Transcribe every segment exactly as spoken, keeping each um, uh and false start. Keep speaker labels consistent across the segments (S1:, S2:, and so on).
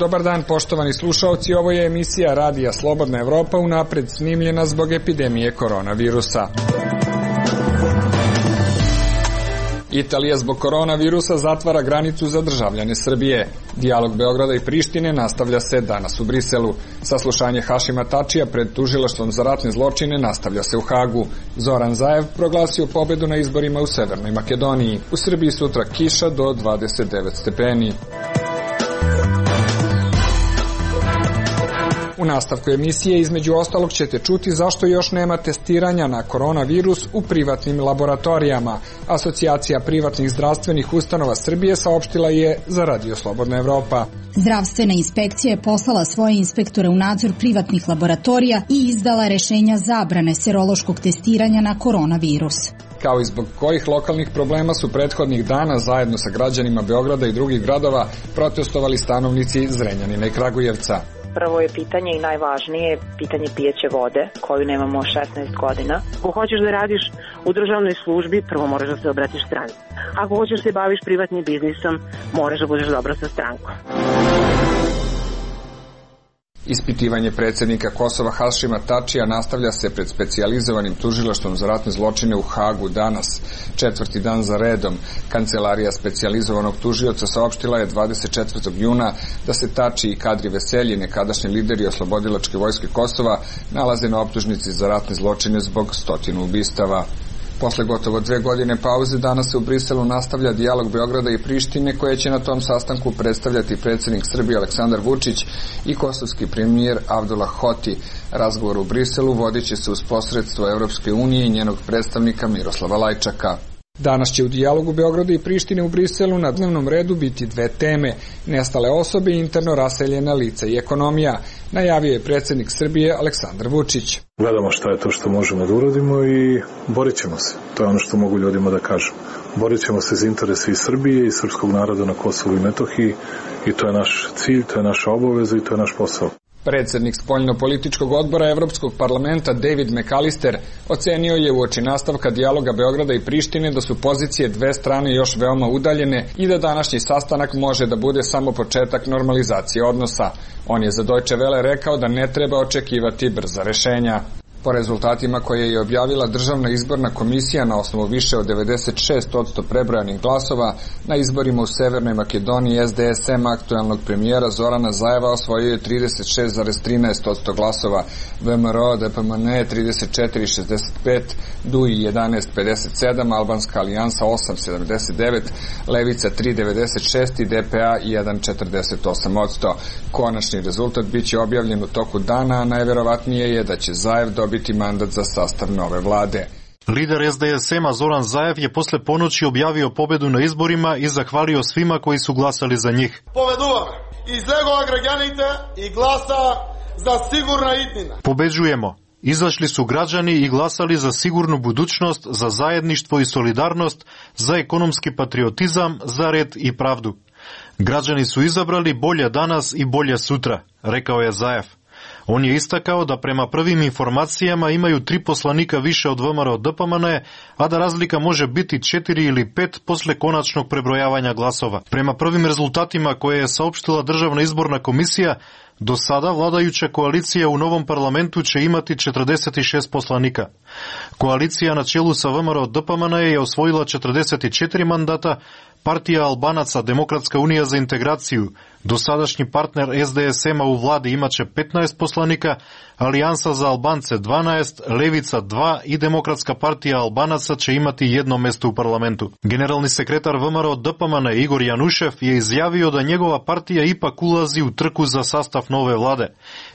S1: Dobar dan, poštovani slušaoci, ovo je emisija Radija Slobodna Evropa, unapred snimljena zbog epidemije koronavirusa. Italija zbog koronavirusa zatvara granicu za državljane Srbije. Dijalog Beograda i Prištine nastavlja se danas u Briselu. Saslušanje Hašima Tačija pred tužilaštvom za ratne zločine nastavlja se u Hagu. Zoran Zaev proglasio pobedu na izborima u Severnoj Makedoniji. U Srbiji sutra kiša do dvadeset devet stepeni. U nastavku emisije između ostalog ćete čuti zašto još nema testiranja na koronavirus u privatnim laboratorijama. Asocijacija privatnih zdravstvenih ustanova Srbije saopštila je za Radio Slobodna Evropa.
S2: Zdravstvena inspekcija je poslala svoje inspektore u nadzor privatnih laboratorija i izdala rešenja zabrane serološkog testiranja na koronavirus.
S1: Kao i zbog kojih lokalnih problema su prethodnih dana zajedno sa građanima Beograda i drugih gradova protestovali stanovnici Zrenjanina i Kragujevca.
S3: Prvo je pitanje i najvažnije pitanje pijeće vode, koju nemamo šesnaest godina. Ako hoćeš da radiš u državnoj službi, prvo moraš da se obratiš stranci. Ako hoćeš da se baviš privatnim biznisom, moraš da budeš dobro sa strankom.
S1: Ispitivanje predsjednika Kosova Hašima Tačija nastavlja se pred specijalizovanim tužilaštvom za ratne zločine u Hagu danas, četvrti dan za redom. Kancelarija specijalizovanog tužioca saopštila je dvadeset četvrtog juna da se Tači i Kadri Veselji, nekadašnji lideri oslobodilačke vojske Kosova, nalaze na optužnici za ratne zločine zbog stotinu ubistava. Posle gotovo dve godine pauze danas se u Briselu nastavlja dijalog Beograda i Prištine koje će na tom sastanku predstavljati predsjednik Srbije Aleksandar Vučić i kosovski premijer Avdullah Hoti. Razgovor u Briselu vodit će se uz posredstvo Evropske unije i njenog predstavnika Miroslava Lajčaka. Danas će u dijalogu Beograda i Prištine u Briselu na dnevnom redu biti dve teme: nestale osobe i interno raseljena lica i ekonomija, najavio je predsjednik Srbije Aleksandar Vučić.
S4: Gledamo šta je to što možemo da uradimo i borit ćemo se. To je ono što mogu ljudima da kažem. Borit ćemo se za interese i Srbije i srpskog naroda na Kosovu i Metohiji i to je naš cilj, to je naša obaveza i to je naš posao.
S1: Predsjednik spoljno-političkog odbora Evropskog parlamenta David McAllister ocenio je uoči nastavka dijaloga Beograda i Prištine da su pozicije dve strane još veoma udaljene i da današnji sastanak može da bude samo početak normalizacije odnosa. On je za Deutsche Welle rekao da ne treba očekivati brza rešenja. Po rezultatima koje je objavila Državna izborna komisija na osnovu više od devedeset šest posto prebrojanih glasova, na izborima u Severnoj Makedoniji S D S M aktuelnog premijera Zorana Zaeva osvojio je trideset šest zarez trinaest posto glasova, V M R O D P M N trideset četiri zarez šezdeset pet, D U I jedanaest zarez pedeset sedam, Albanska alijansa osam zarez sedamdeset devet, Levica tri zarez devedeset šest i D P A jedan zarez četrdeset osam posto. Konačni rezultat biće objavljen u toku dana, a najverovatnije je da će Zaev dobiti biti mandat za sastav nove vlade.
S5: Lider S D S M-a Zoran Zaev je posle ponoći objavio pobedu na izborima i zahvalio svima koji su glasali za njih.
S6: Povedуваме излегоа граѓаните и гласа за сигурна иднина.
S5: Pobeđujemo. Izašli su građani i glasali za sigurnu budućnost, za zajedništvo i solidarnost, za ekonomski patriotizam, za red i pravdu. Građani su izabrali bolje danas i bolje sutra, rekao je Zaev. On je istakao da prema prvim informacijama imaju tri poslanika više od V M R O D P M N, a da razlika može biti četiri ili pet posle konačnog prebrojavanja glasova. Prema prvim rezultatima koje je saopštila Državna izborna komisija, do sada vladajuća koalicija u novom parlamentu će imati četrdeset šest poslanika. Koalicija na čelu sa V M R O D P M N je osvojila četrdeset četiri mandata, Partija Albanaca Demokratska unija za integraciju, dosadašnji partner S D S M-a u vladi imaće petnaest poslanika, Alijansa za Albance dvanaest, Levica dva i Demokratska partija Albanaca će imati jedno mesto u parlamentu. Generalni sekretar V M R O D P M N Igor Janušev je izjavio da njegova partija ipak ulazi u trku za sastav nove vlade,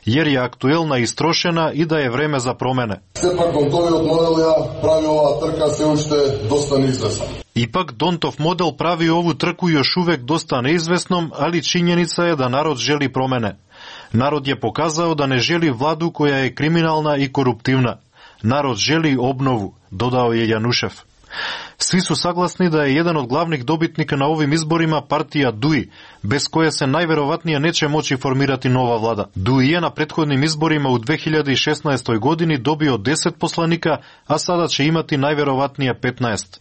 S5: jer je aktuelna istrošena i da je vreme za promene.
S6: Сепак Донтовиот модел ја прави оваа трка се уште доста неизвестна.
S5: Ipak Dontov model pravi ovu trku još uvek dosta neizvesnom, ali činjenica je da narod želi promene. Narod je pokazao da ne želi vladu koja je kriminalna i koruptivna. Narod želi obnovu, dodao je Janušev. Svi su saglasni da je jedan od glavnih dobitnika na ovim izborima partija D U I, bez koje se najverovatnije neće moći formirati nova vlada. D U I je na prethodnim izborima u dve hiljade šesnaestoj godini dobio deset poslanika, a sada će imati najverovatnije petnaest.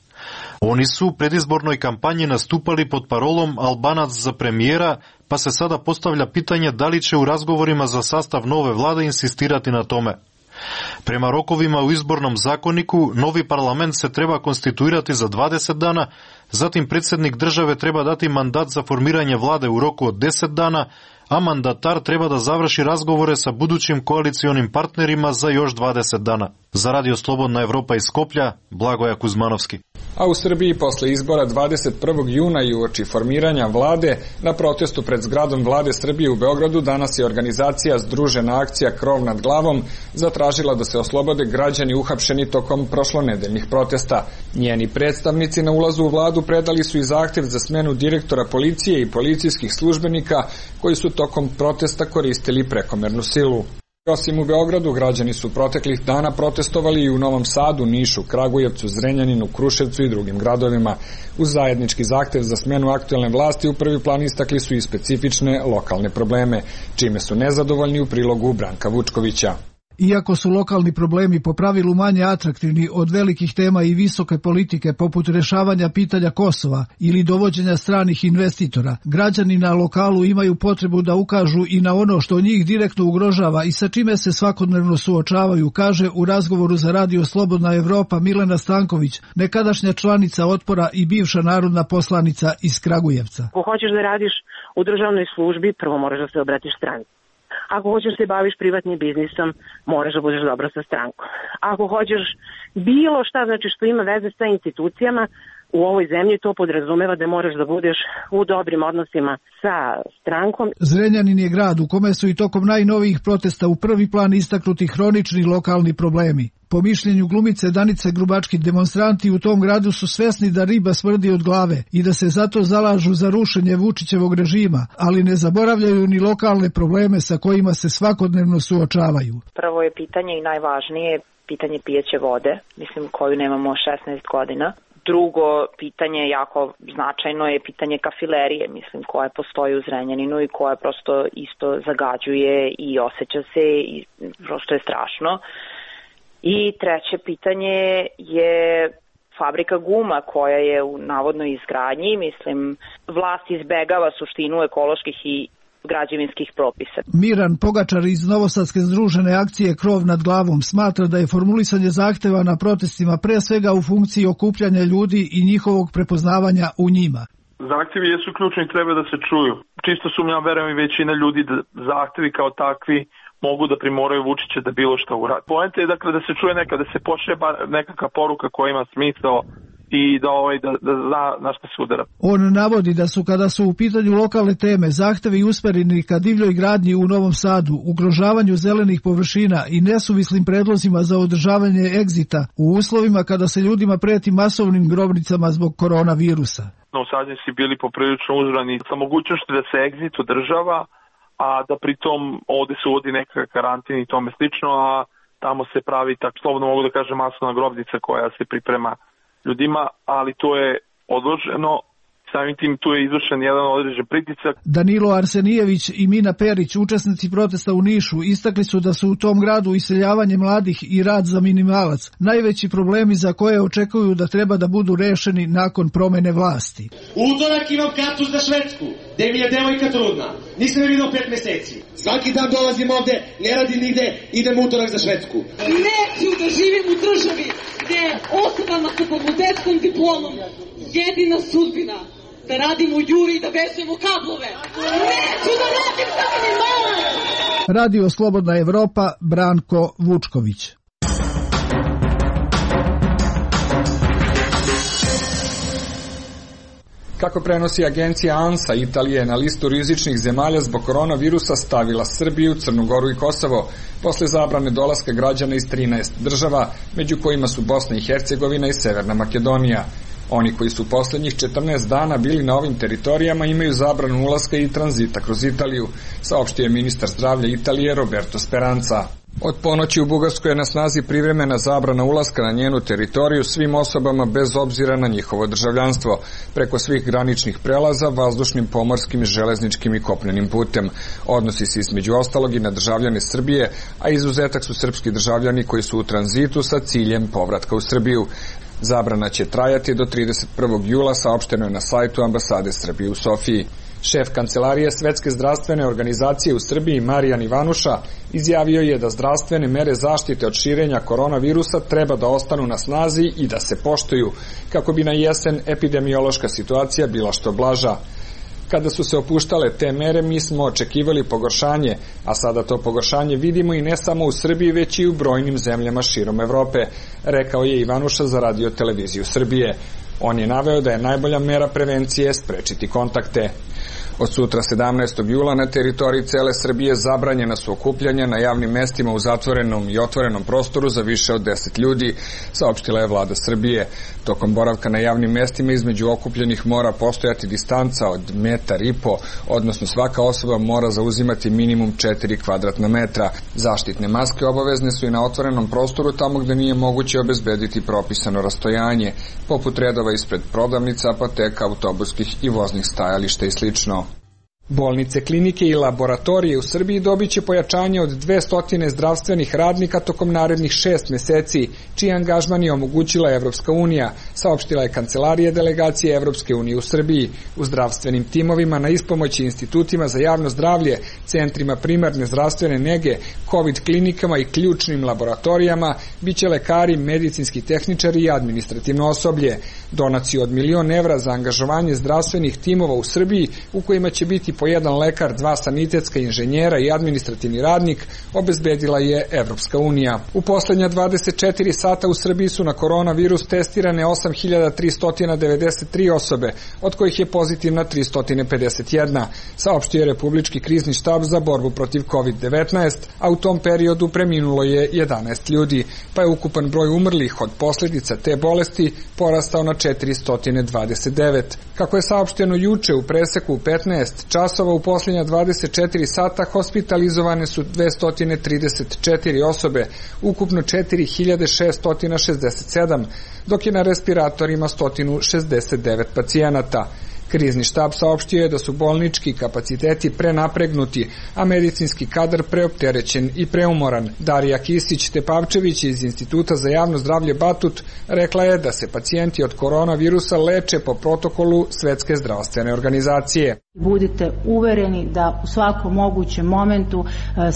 S5: Oni su u predizbornoj kampanji nastupali pod parolom Albanac za premijera, pa se sada postavlja pitanje da li će u razgovorima za sastav nove vlade insistirati na tome. Prema rokovima u izbornom zakoniku, novi parlament se treba konstituirati za dvadeset dana, zatim predsjednik države treba dati mandat za formiranje vlade u roku od deset dana, a mandatar treba da završi razgovore sa budućim koalicionim partnerima za još dvadeset dana. Za Radio Slobodna Evropa iz Skoplja, Blagoja Kuzmanovski.
S1: A u Srbiji posle izbora dvadeset prvog juna i uoči formiranja vlade, na protestu pred zgradom vlade Srbije u Beogradu danas je organizacija Združena akcija Krov nad glavom zatražila da se oslobode građani uhapšeni tokom prošlonedeljnih protesta. Njeni predstavnici na ulazu u vladu predali su i zahtev za smenu direktora policije i policijskih službenika koji su tokom protesta koristili prekomernu silu. Osim u Beogradu, građani su proteklih dana protestovali i u Novom Sadu, Nišu, Kragujevcu, Zrenjaninu, Kruševcu i drugim gradovima. Uz zajednički zahtev za smenu aktuelne vlasti u prvi plan istakli su i specifične lokalne probleme, čime su nezadovoljni u prilogu Branka Vučkovića.
S7: Iako su lokalni problemi po pravilu manje atraktivni od velikih tema i visoke politike poput rešavanja pitanja Kosova ili dovođenja stranih investitora, građani na lokalu imaju potrebu da ukažu i na ono što njih direktno ugrožava i sa čime se svakodnevno suočavaju, kaže u razgovoru za Radio Slobodna Evropa Milena Stanković, nekadašnja članica Otpora i bivša narodna poslanica iz Kragujevca.
S3: Ako hoćeš da radiš u državnoj službi, prvo moraš da se obratiš stranci. Ako hoćeš da se baviš privatnim biznisom, moraš da budeš dobro sa strankom. Ako hoćeš bilo šta, znači što ima veze sa institucijama, u ovoj zemlji to podrazumeva da moraš da budeš u dobrim odnosima sa strankom.
S7: Zrenjanin je grad u kome su i tokom najnovijih protesta u prvi plan istaknuti hronični lokalni problemi. Po mišljenju glumice Danice Grubački, demonstranti u tom gradu su svesni da riba smrdi od glave i da se zato zalažu za rušenje Vučićevog režima, ali ne zaboravljaju ni lokalne probleme sa kojima se svakodnevno suočavaju.
S3: Prvo je pitanje i najvažnije pitanje pijeće vode, mislim koju nemamo šesnaest godina. Drugo pitanje, jako značajno, je pitanje kafilerije, mislim, koje postoji u Zrenjaninu i koje prosto isto zagađuje i osjeća se i prosto je strašno. I treće pitanje je fabrika guma koja je u navodnoj izgradnji, mislim, vlast izbegava suštinu ekoloških i građevinskih propisa.
S7: Miran Pogačar iz Novosadske združene akcije Krov nad glavom smatra da je formulisanje zahteva na protestima pre svega u funkciji okupljanja ljudi i njihovog prepoznavanja u njima.
S8: Zahtevi jesu ključni i treba da se čuju. Čisto sumnjam, verujem i većina ljudi da zahtevi kao takvi mogu da primoraju Vučića da bilo što uradi. Poenta je dakle da se čuje neka, da se pošalje nekakva poruka koja ima smisao i da, ovaj, da, da zna na što se udara.
S7: On navodi da su kada su u pitanju lokalne teme zahtevi usmereni ka divljoj gradnji u Novom Sadu, ugrožavanju zelenih površina i nesuvislim predlozima za održavanje egzita u uslovima kada se ljudima preti masovnim grobnicama zbog koronavirusa.
S8: Novosađani su bili poprilično uzrani sa mogućnosti da se egzit održava, a da pritom ovde se uvodi neka karantin i tome slično, a tamo se pravi, tako slobodno mogu da kažem, masovna grobnica koja se priprema ljudima, ali to je odloženo, samim tim tu je izvršen jedan određen pritisak.
S7: Danilo Arsenijević i Mina Perić, učesnici protesta u Nišu, istakli su da su u tom gradu iseljavanje mladih i rad za minimalac najveći problemi za koje očekuju da treba da budu rešeni nakon promene vlasti.
S9: U utorak imam kartu za Švedsku, gde mi je devojka trudna. Nisam je vidio pet meseci. Svaki dan dolazim ovde, ne radim nigde, idem utorak za Švedsku.
S10: Neću da živim u državi gde osobama sa fakultetskom diplomom jedina sudbina da radim u Juri i da vežemo kablove. Neću da radim za minimalac!
S7: Radio Slobodna Evropa, Branko Vučković.
S1: Kako prenosi agencija ANSA, Italija je na listu rizičnih zemalja zbog koronavirusa stavila Srbiju, Crnu Goru i Kosovo, posle zabrane dolaska građana iz trinaest država, među kojima su Bosna i Hercegovina i Severna Makedonija. Oni koji su poslednjih četrnaest dana bili na ovim teritorijama imaju zabranu ulaska i tranzita kroz Italiju, saopštio je ministar zdravlja Italije Roberto Speranza. Od ponoći u Bugarskoj je na snazi privremena zabrana ulaska na njenu teritoriju svim osobama bez obzira na njihovo državljanstvo, preko svih graničnih prelaza, vazdušnim, pomorskim, železničkim i kopnenim putem. Odnosi se između ostalog i na državljane Srbije, a izuzetak su srpski državljani koji su u tranzitu sa ciljem povratka u Srbiju. Zabrana će trajati do trideset prvog jula, saopšteno je na sajtu ambasade Srbije u Sofiji. Šef Kancelarije Svetske zdravstvene organizacije u Srbiji Marijan Ivanuša izjavio je da zdravstvene mere zaštite od širenja koronavirusa treba da ostanu na snazi i da se poštuju, kako bi na jesen epidemiološka situacija bila što blaža. Kada su se opuštale te mere, mi smo očekivali pogoršanje, a sada to pogoršanje vidimo i ne samo u Srbiji, već i u brojnim zemljama širom Evrope, rekao je Ivanuša za Radio televiziju Srbije. On je naveo da je najbolja mera prevencije sprečiti kontakte. Od sutra sedamnaestog jula na teritoriji cele Srbije zabranjena su okupljanja na javnim mestima u zatvorenom i otvorenom prostoru za više od deset ljudi, saopštila je vlada Srbije. Tokom boravka na javnim mestima između okupljenih mora postojati distanca od metar i po, odnosno svaka osoba mora zauzimati minimum četiri kvadratna metra. Zaštitne maske obavezne su i na otvorenom prostoru tamo gde nije moguće obezbediti propisano rastojanje, poput redova ispred prodavnica, apoteka, autobuskih i voznih stajališta i slično. Bolnice, klinike i laboratorije u Srbiji dobit će pojačanje od dvesta zdravstvenih radnika tokom narednih šest meseci, čiji angažman je omogućila Evropska unija, saopštila je Kancelarija delegacije Evropske unije u Srbiji. U zdravstvenim timovima na ispomoći institutima za javno zdravlje, centrima primarne zdravstvene nege, COVID klinikama i ključnim laboratorijama biće lekari, medicinski tehničari i administrativno osoblje. Donaciju od milion evra za angažovanje zdravstvenih timova u Srbiji, u kojima će biti po jedan lekar, dva sanitetska inženjera i administrativni radnik, obezbedila je Evropska unija. U poslednja dvadeset četiri sata u Srbiji su na koronavirus testirane osam hiljada tristo devedeset tri osobe, od kojih je pozitivna tristo pedeset jedna, saopštio je Republički krizni štab za borbu protiv kovid devetnaest, a u tom periodu preminulo je jedanaest ljudi, pa je ukupan broj umrlih od posledica te bolesti porastao na četiristo dvadeset devet. Kako je saopšteno juče, u preseku u petnaest časova u posljednja dvadeset četiri sata hospitalizovane su dvesta trideset četiri osobe, ukupno četiri hiljade šeststo šezdeset sedam, dok je na respiratorima sto šezdeset devet pacijenata. Krizni štab saopštio je da su bolnički kapaciteti prenapregnuti, a medicinski kadar preopterećen i preumoran. Darija Kisić-Tepavčević iz Instituta za javno zdravlje Batut rekla je da se pacijenti od koronavirusa leče po protokolu Svetske zdravstvene organizacije.
S11: Budite uvereni da u svakom mogućem momentu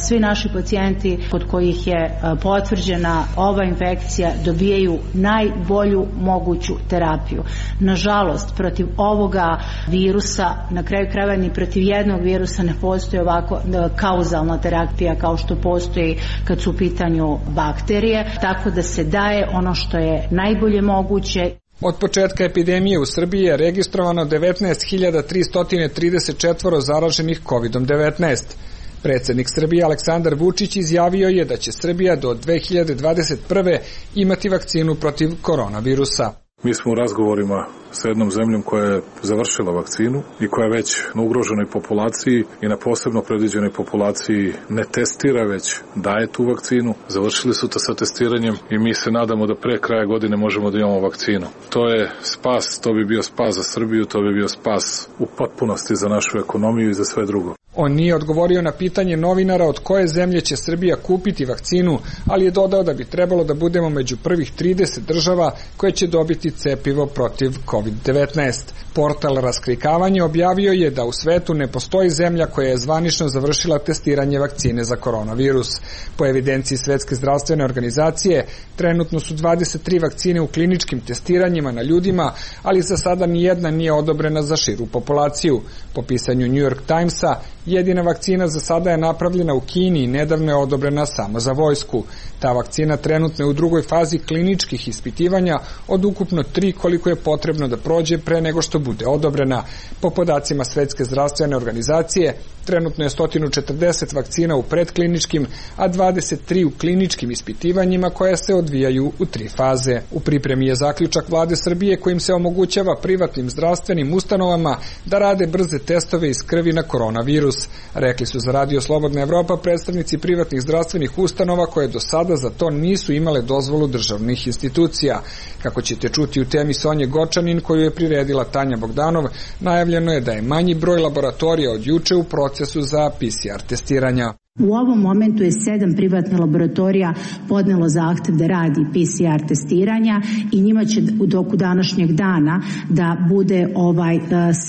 S11: svi naši pacijenti kod kojih je potvrđena ova infekcija dobijaju najbolju moguću terapiju. Nažalost, protiv ovoga virusa, na kraju krajeva ni protiv jednog virusa ne postoji ovako kauzalna terapija kao što postoji kad su u pitanju bakterije, tako da se daje ono što je najbolje moguće.
S1: Od početka epidemije u Srbiji je registrovano devetnaest hiljada tristo trideset četiri zaraženih kovid devetnaest. Predsednik Srbije Aleksandar Vučić izjavio je da će Srbija do dve hiljade dvadeset prve imati vakcinu protiv koronavirusa.
S4: Mi smo u razgovorima sa jednom zemljom koja je završila vakcinu i koja je već na ugroženoj populaciji i na posebno predviđenoj populaciji ne testira, već daje tu vakcinu. Završili su to sa testiranjem i mi se nadamo da pre kraja godine možemo da imamo vakcinu. To je spas, to bi bio spas za Srbiju, to bi bio spas u potpunosti za našu ekonomiju i za sve drugo.
S1: On nije odgovorio na pitanje novinara od koje zemlje će Srbija kupiti vakcinu, ali je dodao da bi trebalo da budemo među prvih trideset država koje će dobiti cepivo protiv kovid devetnaest. Portal Raskrikavanje objavio je da u svetu ne postoji zemlja koja je zvanično završila testiranje vakcine za koronavirus. Po evidenciji Svetske zdravstvene organizacije, trenutno su dvadeset tri vakcine u kliničkim testiranjima na ljudima, ali za sada nijedna nije odobrena za širu populaciju. Po pisanju New York Timesa, jedina vakcina za sada je napravljena u Kini i nedavno je odobrena samo za vojsku. Ta vakcina trenutno je u drugoj fazi kliničkih ispitivanja od ukupno tri koliko je potrebno da prođe pre nego što bude odobrena. Po podacima Svetske zdravstvene organizacije, trenutno je sto četrdeset vakcina u predkliničkim, a dvadeset tri u kliničkim ispitivanjima koja se odvijaju u tri faze. U pripremi je zaključak vlade Srbije kojim se omogućava privatnim zdravstvenim ustanovama da rade brze testove iz krvi na koronavirus. Rekli su za Radio Slobodna Evropa predstavnici privatnih zdravstvenih ustanova koje do sada za to nisu imale dozvolu državnih institucija. Kako ćete čuti u temi Sonje Gočanin koju je priredila Tanja Bogdanov, najavljeno je da je manji broj laboratorija od juče u procesu za P C R testiranja.
S11: U ovom momentu je sedam privatnih laboratorija podnelo zahtev da radi P C R testiranja i njima će dok u današnjeg dana da bude ovaj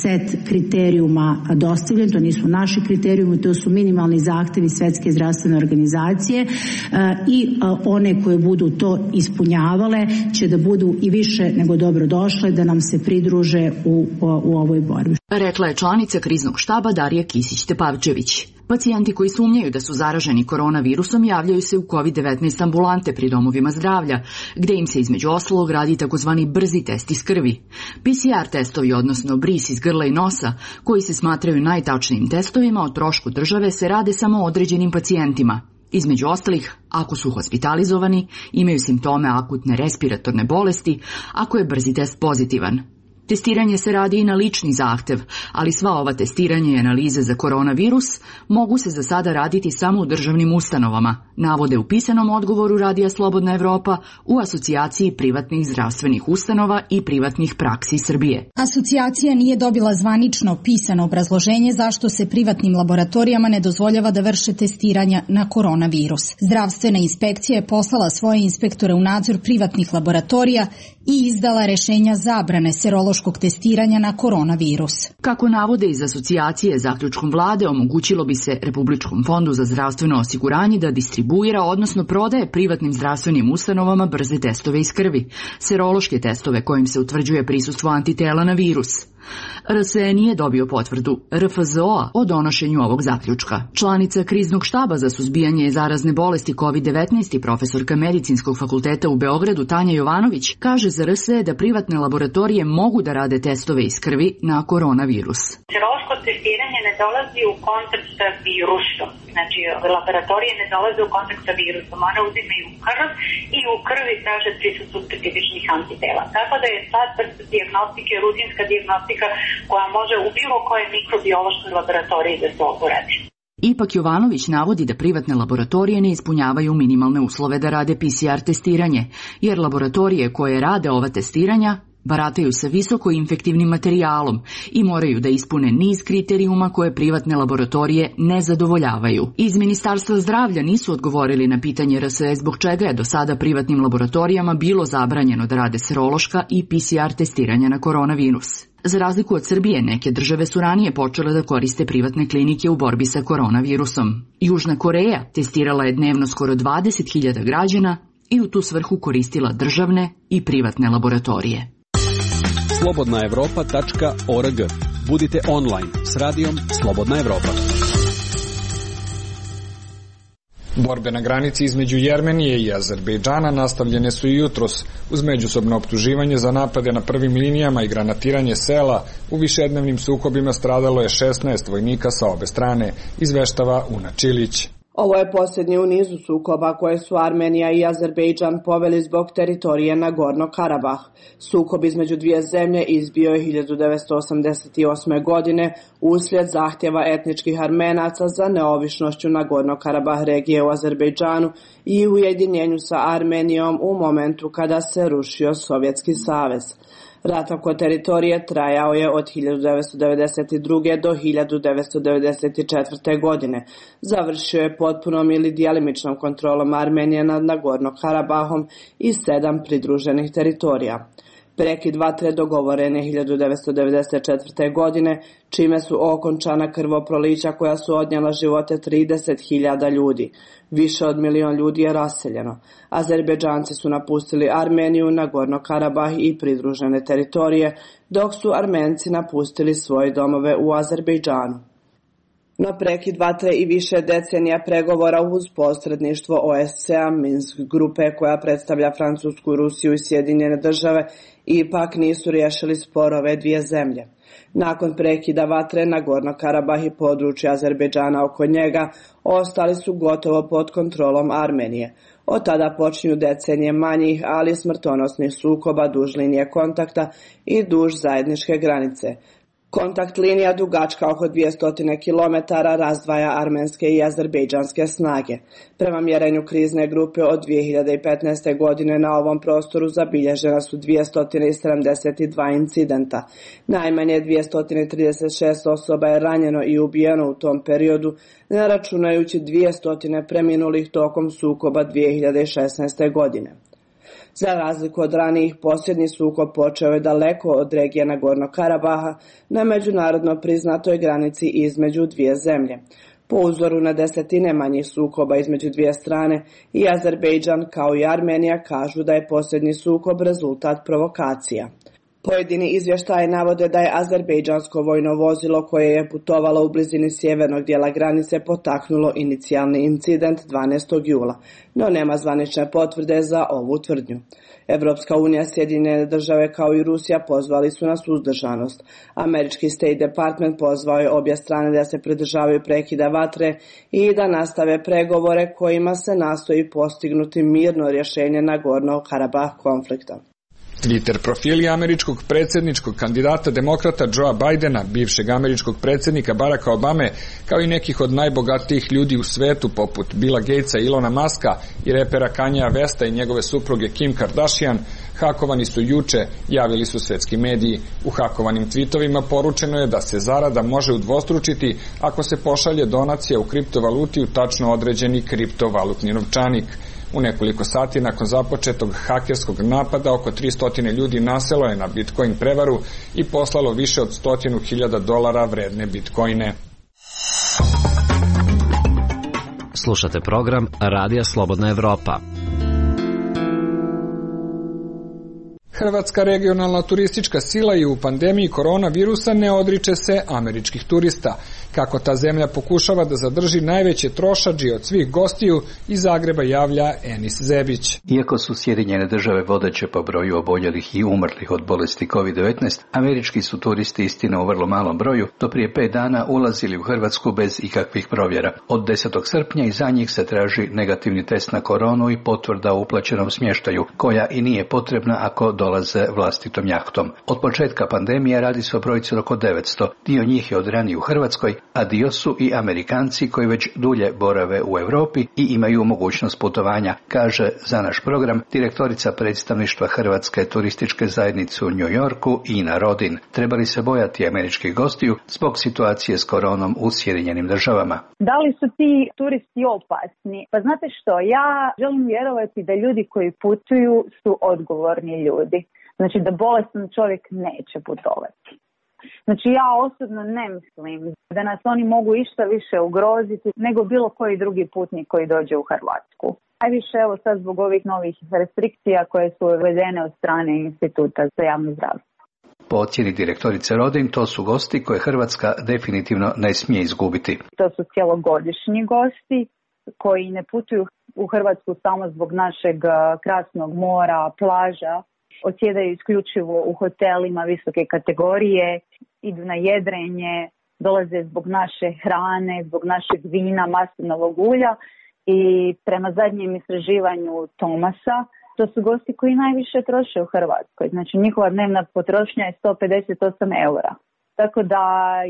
S11: set kriterijuma dostavljen. To nisu naši kriterijumi, to su minimalni zahtevi Svetske zdravstvene organizacije i one koje budu to ispunjavale će da budu i više nego dobro došle da nam se pridruže u, u ovoj borbi.
S12: Rekla je članica kriznog štaba Darija Kisić-Tepavčević. Pacijenti koji sumnjaju da su zaraženi koronavirusom javljaju se u kovid devetnaest ambulante pri domovima zdravlja, gde im se između ostalog radi takozvani brzi test iz krvi. P C R testovi, odnosno bris iz grla i nosa, koji se smatraju najtačnijim testovima o trošku države, se rade samo određenim pacijentima. Između ostalih, ako su hospitalizovani, imaju simptome akutne respiratorne bolesti, ako je brzi test pozitivan. Testiranje se radi i na lični zahtev, ali sva ova testiranja i analize za koronavirus mogu se za sada raditi samo u državnim ustanovama, navode u pisanom odgovoru Radija Slobodna Evropa u Asocijaciji privatnih zdravstvenih ustanova i privatnih praksi Srbije.
S2: Asocijacija nije dobila zvanično pisano obrazloženje zašto se privatnim laboratorijama ne dozvoljava da vrše testiranja na koronavirus. Zdravstvena inspekcija je poslala svoje inspektore u nadzor privatnih laboratorija i izdala rešenja zabrane serološkog testiranja na koronavirus.
S12: Kako navode iz asocijacije, zaključkom vlade omogućilo bi se Republičkom fondu za zdravstveno osiguranje da distribuira, odnosno prodaje privatnim zdravstvenim ustanovama brze testove iz krvi, serološke testove kojim se utvrđuje prisustvo antitela na virus. R S E nije dobio potvrdu R F Z O-a o donošenju ovog zaključka. Članica kriznog štaba za suzbijanje zarazne bolesti kovid devetnaest i profesorka Medicinskog fakulteta u Beogradu Tanja Jovanović kaže za R S E da privatne laboratorije mogu da rade testove iz krvi na koronavirus.
S13: Serološko testiranje ne dolazi u kontakt sa virusom. Znači, laboratorije ne dolaze u kontakt sa virusom. One uzimaju krv i u krvi traže prisustvo specifičnih antitela. Tako da je sad vrsta dijagnostike, rutinska dijagnostika koja može u bilo kojoj mikrobiološkoj laboratoriji da se oporadi.
S12: Ipak Jovanović navodi da privatne laboratorije ne ispunjavaju minimalne uslove da rade P C R testiranje, jer laboratorije koje rade ova testiranja barataju sa visoko infektivnim materijalom i moraju da ispune niz kriterijuma koje privatne laboratorije ne zadovoljavaju. Iz Ministarstva zdravlja nisu odgovorili na pitanje R S E zbog čega je do sada privatnim laboratorijama bilo zabranjeno da rade serološka i P C R testiranja na koronavirus. Za razliku od Srbije, neke države su ranije počele da koriste privatne klinike u borbi sa koronavirusom. Južna Koreja testirala je dnevno skoro dvadeset hiljada građana i u tu svrhu koristila državne i privatne laboratorije.
S14: slobodna evropa tačka org. Budite online s radijom Slobodna Evropa.
S1: Borbe na granici između Jermenije i Azerbejdžana nastavljene su i jutros uz međusobno optuživanje za napade na prvim linijama i granatiranje sela. U višednevnim sukobima stradalo je šesnaest vojnika sa obe strane, izveštava Una Čilić.
S15: Ovo je posljednji u nizu sukoba koje su Armenija i Azerbejdžan poveli zbog teritorije Nagorno Karabah. Sukob između dvije zemlje izbio je hiljadu devetsto osamdeset osme. godine uslijed zahtjeva etničkih Armenaca za neovisnošću Nagorno Karabah regije u Azerbejdžanu i ujedinjenju sa Armenijom u momentu kada se rušio Sovjetski savez. Rat oko teritorije trajao je od hiljadu devetsto devedeset druge. do hiljadu devetsto devedeset četvrte. godine. Završio je potpunom ili djelimičnom kontrolom Armenije nad Nagorno Karabahom i sedam pridruženih teritorija. Prekid vatre dogovoren je hiljadu devetsto devedeset četvrte. godine, čime su okončana krvoprolića koja su odnijela živote trideset hiljada ljudi. Više od milion ljudi je raseljeno. Azerbejdžanci su napustili Armeniju, Nagorno Karabah i pridružene teritorije, dok su Armenci napustili svoje domove u Azerbejdžanu. No prekid vatre i više decenija pregovora uz posredništvo O S C A, Minsk grupe koja predstavlja Francusku, Rusiju i Sjedinjene države, ipak nisu riješili sporove dvije zemlje. Nakon prekida vatre, Nagorno Karabah i područje Azerbejdžana oko njega ostali su gotovo pod kontrolom Armenije. Od tada počinju decenije manjih, ali smrtonosnih sukoba duž linije kontakta i duž zajedničke granice. Kontakt linija dugačka oko dvjesto kilometara razdvaja armenske i azerbejdžanske snage. Prema mjerenju krizne grupe od dvije hiljade petnaeste. godine na ovom prostoru zabilježena su dvjesto sedamdeset dva incidenta. Najmanje dvjesto trideset šest osoba je ranjeno i ubijeno u tom periodu, ne računajući dvjesto preminulih tokom sukoba dvije hiljade šesnaeste. godine. Za razliku od ranijih, posljednji sukob počeo je daleko od regije Nagornog Karabaha na međunarodno priznatoj granici između dvije zemlje. Po uzoru na desetine manjih sukoba između dvije strane, i Azerbejdžan kao i Armenija kažu da je posljednji sukob rezultat provokacija. Pojedini izvještaji navode da je azerbejdžansko vojno vozilo koje je putovalo u blizini sjevernog dijela granice potaknulo inicijalni incident dvanaestog jula, no nema zvanične potvrde za ovu tvrdnju. Evropska unija, Sjedinjene države kao i Rusija pozvali su na suzdržanost. Američki State Department pozvao je obje strane da se pridržavaju prekida vatre i da nastave pregovore kojima se nastoji postignuti mirno rješenje Nagornog Karabah konflikta.
S1: Twitter profili američkog predsjedničkog kandidata demokrata Joea Bidena, bivšeg američkog predsjednika Baracka Obame, kao i nekih od najbogatijih ljudi u svetu poput Billa Gatesa, Ilona Muska i repera Kanyea Westa i njegove supruge Kim Kardashian, hakovani su juče, javili su svetski mediji. U hakovanim tweetovima poručeno je da se zarada može udvostručiti ako se pošalje donacija u kriptovaluti u tačno određeni kriptovalutni novčanik. U nekoliko sati nakon započetog hakerskog napada oko tristo ljudi naselo je na Bitcoin prevaru i poslalo više od stotinu hiljada dolara vredne bitcoine.
S16: Slušate program Radija Slobodna Evropa.
S1: Hrvatska regionalna turistička sila i u pandemiji koronavirusa ne odriče se američkih turista. Kako ta zemlja pokušava da zadrži najveće trošadži od svih gostiju, iz Zagreba javlja Enis Zebić.
S17: Iako su Sjedinjene države vodeće po broju oboljelih i umrlih od bolesti kovid devetnaest, američki su turisti, istina u vrlo malom broju, do prije pet dana ulazili u Hrvatsku bez ikakvih provjera. Od desetog srpnja i za njih se traži negativni test na koronu i potvrda o uplaćenom smještaju, koja i nije potrebna ako dolaze vlastitom jahtom. Od početka pandemije radi se o brojci oko devetsto, dio njih je od ranije u Hrvatskoj, a dio su i Amerikanci koji već dulje borave u Europi i imaju mogućnost putovanja, kaže za naš program direktorica predstavništva Hrvatske turističke zajednice u New Yorku Ina Rodin. Treba li se bojati američkih gostiju zbog situacije s koronom u Sjedinjenim državama?
S18: Da li su ti turisti opasni? Pa znate što, ja želim vjerovati da ljudi koji putuju su odgovorni ljudi. Znači da bolestan čovjek neće putovati. Znači ja osobno ne mislim da nas oni mogu išta više ugroziti nego bilo koji drugi putnik koji dođe u Hrvatsku. Najviše evo sad zbog ovih novih restrikcija koje su uvedene od strane Instituta za javno zdravstvo.
S17: Po ocjeni direktorice Rodin, to su gosti koje Hrvatska definitivno ne smije izgubiti.
S18: To su cjelogodišnji gosti koji ne putuju u Hrvatsku samo zbog našeg krasnog mora, plaža, odsjedaju isključivo u hotelima visoke kategorije, idu na jedrenje, dolaze zbog naše hrane, zbog našeg vina, maslinovog ulja i prema zadnjem istraživanju Thomasa, to su gosti koji najviše troše u Hrvatskoj. Znači njihova dnevna potrošnja je sto pedeset osam eura. Tako da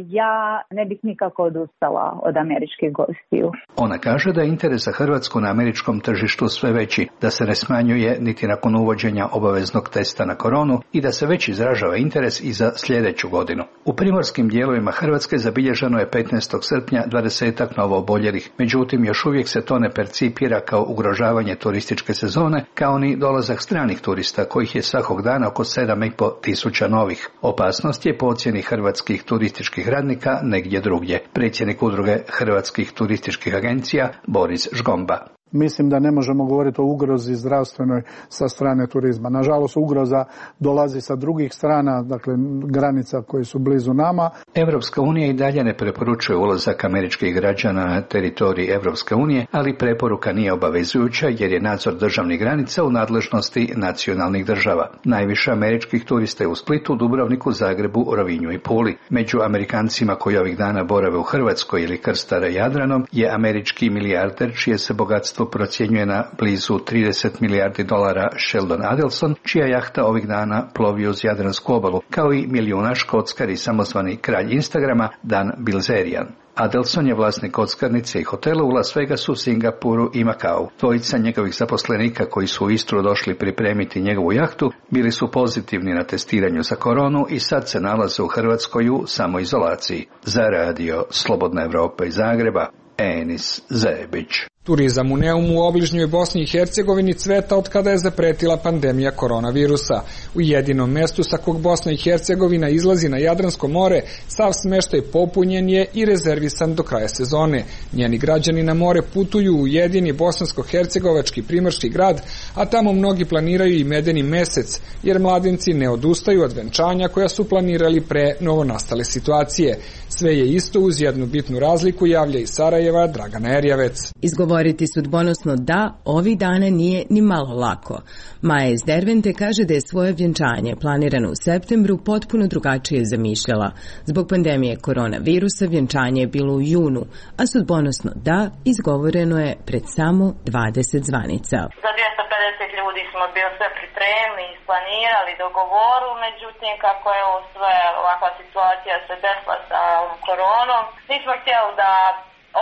S18: ja ne bih nikako odustala od američkih gostiju.
S17: Ona kaže da je interes za Hrvatsku na američkom tržištu sve veći, da se ne smanjuje niti nakon uvođenja obaveznog testa na koronu i da se već izražava interes i za sljedeću godinu. U primorskim dijelovima Hrvatske zabilježeno je petnaestog srpnja dvadesetak novo oboljelih, međutim još uvijek se to ne percipira kao ugrožavanje turističke sezone, kao ni dolazak stranih turista kojih je svakog dana oko sedam i pol tisuća novih. Opasnost je po ocjeni Hrvatske turističkih radnika negdje drugdje. Predsjednik udruge hrvatskih turističkih agencija Boris Žgomba.
S19: Mislim da ne možemo govoriti o ugrozi zdravstvenoj sa strane turizma. Nažalost, ugroza dolazi sa drugih strana, dakle granica koje su blizu nama.
S17: Evropska unija i dalje ne preporučuje ulazak američkih građana na teritoriji Evropske unije, ali preporuka nije obavezujuća jer je nadzor državnih granica u nadležnosti nacionalnih država. Najviše američkih turista je u Splitu, Dubrovniku, Zagrebu, Rovinju i Puli. Među Amerikancima koji ovih dana borave u Hrvatskoj ili krstare Jadranom je američki milijarder čije se bogatstvo procjenjuje na blizu trideset milijardi dolara Sheldon Adelson, čija jahta ovih dana plovi uz Jadransku obalu, kao i milijunaš kockar i samozvani kralj Instagrama Dan Bilzerian. Adelson je vlasnik kockarnice i hotela u Las Vegasu, Singapuru i Makau. Dvojica njegovih zaposlenika koji su u Istru došli pripremiti njegovu jahtu bili su pozitivni na testiranju za koronu i sad se nalaze u Hrvatskoj u samoizolaciji. Za radio Slobodna Evropa iz Zagreba, Enis Zebić.
S1: Turizam u Neumu u obližnjoj Bosni i Hercegovini cveta od kada je zapretila pandemija koronavirusa. U jedinom mestu sa kog Bosna i Hercegovina izlazi na Jadransko more, sav smeštaj popunjen je i rezervisan do kraja sezone. Njeni građani na more putuju u jedini bosansko-hercegovački primorski grad, a tamo mnogi planiraju i medeni mesec, jer mladenci ne odustaju od venčanja koja su planirali pre novonastale situacije. Sve je isto uz jednu bitnu razliku, javlja iz Sarajeva Dragana Erjavec.
S20: Izgovoriti sudbonosno da ovih dana nije ni malo lako. Maja iz Dervente kaže da je svoje vjenčanje planirano u septembru potpuno drugačije zamišljala. Zbog pandemije koronavirusa vjenčanje je bilo u junu, a sudbonosno da izgovoreno je pred samo dvadeset zvanica.
S21: Za dvjesto pedeset ljudi smo bili sve pripremili, isplanirali, dogovoru, međutim kako je ovo sve ovakva situacija se desila sa koronom, nismo htjeli da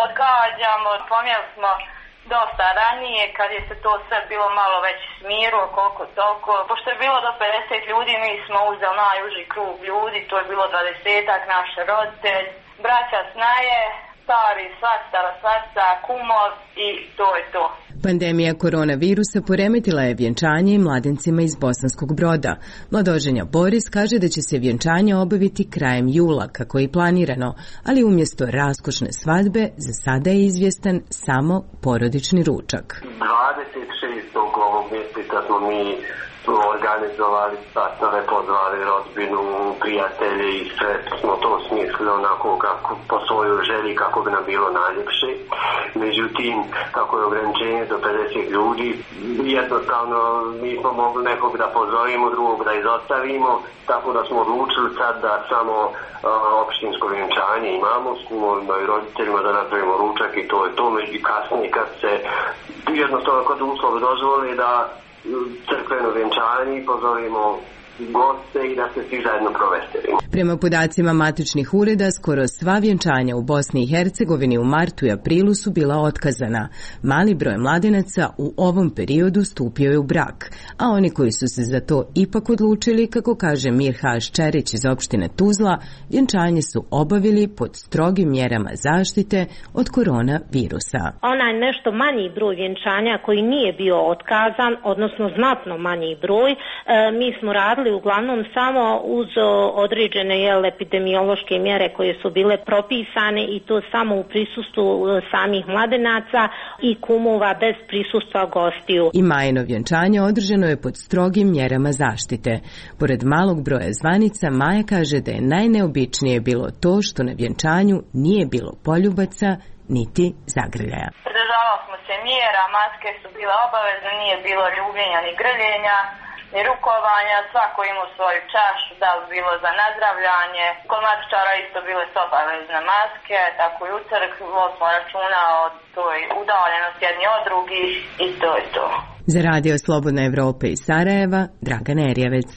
S21: odgađamo, pomijeli smo dosta ranije kad je se to sve bilo malo već smirilo koliko toliko. Pošto je bilo do pedeset ljudi, mi smo uzeli najuži krug ljudi, to je bilo dvadesetak, naš roditelj, braća snaje, stari, svastara, svasta, kumov i to je to.
S20: Pandemija koronavirusa poremetila je vjenčanje i mladencima iz Bosanskog Broda. Mladoženja Boris kaže da će se vjenčanje obaviti krajem jula, kako je planirano, ali umjesto raskošne svadbe za sada je izvjestan samo porodični ručak.
S22: dvadeset šestog ovog mjeseca smo mi organizovali sastave, pozvali rodbinu, prijatelje i sve smo to smislili onako kako po svojoj želji kako bi nam bilo najljepše. Međutim, kako je ograničenje do pedeset ljudi, jednostavno nismo mogli nekog da pozovimo, drugog da izostavimo, tako da smo odlučili sad da samo uh, opštinsko vjenčanje imamo, s mojim roditeljima da napravimo ručak i to je to. Među kasnije kad se jednostavno kod uslovi dozvoli da crkveno vjenčanje i pozovimo goste i da se svi zajedno proveselimo.
S20: Prema podacima matičnih ureda, skoro sva vjenčanja u Bosni i Hercegovini u martu i aprilu su bila otkazana. Mali broj mladenaca u ovom periodu stupio je u brak, a oni koji su se za to ipak odlučili, kako kaže Mirhaš Čerić iz opštine Tuzla, vjenčanje su obavili pod strogim mjerama zaštite od koronavirusa.
S23: Onaj nešto manji broj vjenčanja koji nije bio otkazan, odnosno znatno manji broj, e, mi smo radili uglavnom samo uz određene jel, epidemiološke mjere koje su bile propisane i to samo u prisustvu samih mladenaca i kumova bez prisustva gostiju.
S20: I Majino vjenčanje održano je pod strogim mjerama zaštite. Pored malog broja zvanica, Maja kaže da je najneobičnije bilo to što na vjenčanju nije bilo poljubaca niti zagrljaja.
S21: Pridržavali smo se mjera, maske su bile obavezne, nije bilo ljubljenja ni grljenja, ni rukovanja, svako imao svoju čašu, da li bilo za nazdravljanje. Kod matičara isto bile su obavezne maske, tako i u crkvi smo računa o toj udaljenosti jedni od drugih i to je to.
S20: Za radio Slobodna Evropa iz Sarajeva, Dragana Erjavec.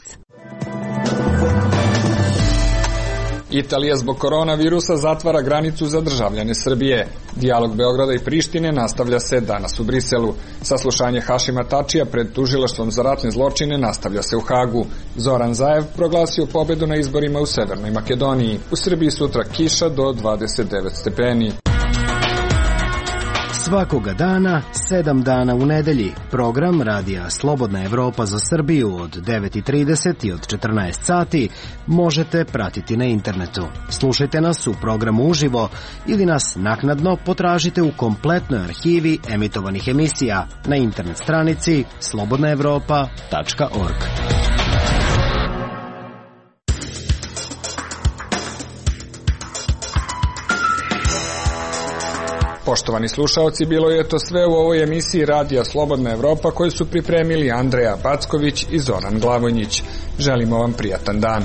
S1: Italija zbog koronavirusa zatvara granicu za državljane Srbije. Dijalog Beograda i Prištine nastavlja se danas u Briselu. Saslušanje Hašima Tačija pred tužilaštvom za ratne zločine nastavlja se u Hagu. Zoran Zaev proglasio pobedu na izborima u Severnoj Makedoniji. U Srbiji sutra kiša do dvadeset devet stepeni.
S16: Svakoga dana, sedam dana u nedelji. Program Radija Slobodna Evropa za Srbiju od devet i trideset i od četrnaest sati možete pratiti na internetu. Slušajte nas u programu uživo ili nas naknadno potražite u kompletnoj arhivi emitovanih emisija na internet stranici slobodna evropa tačka org.
S1: Poštovani slušaoci, bilo je to sve u ovoj emisiji Radija Slobodna Evropa koju su pripremili Andreja Backović i Zoran Glavonjić. Želimo vam prijatan dan.